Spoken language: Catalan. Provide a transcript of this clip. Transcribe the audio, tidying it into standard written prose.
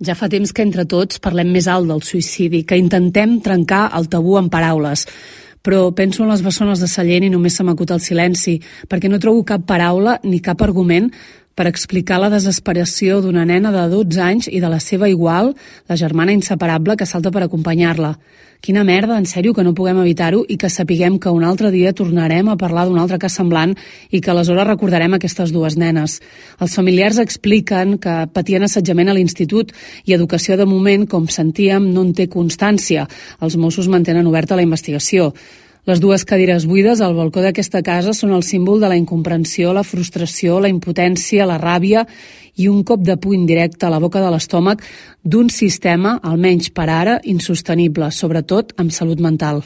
Ja fa temps que entre tots parlem més alt del suïcidi, que intentem trencar el tabú amb paraules. Però penso en les bessones de Sallent i només se m'acut el silenci, perquè no trobo cap paraula ni cap argument per explicar la desesperació d'una nena de 12 anys i de la seva igual, la germana inseparable que salta per acompanyar-la. Quina merda, en sèrio, que no puguem evitar-ho i que sapiguem que un altre dia tornarem a parlar d'un altre cas semblant i que aleshores recordarem aquestes dues nenes. Els familiars expliquen que patien assetjament a l'institut i educació de moment, com sentíem, no en té constància. Els Mossos mantenen oberta la investigació. Les dues cadires buides al balcó d'aquesta casa són el símbol de la incomprensió, la frustració, la impotència, la ràbia i un cop de puny directe a la boca de l'estómac d'un sistema, almenys per ara, insostenible, sobretot amb salut mental.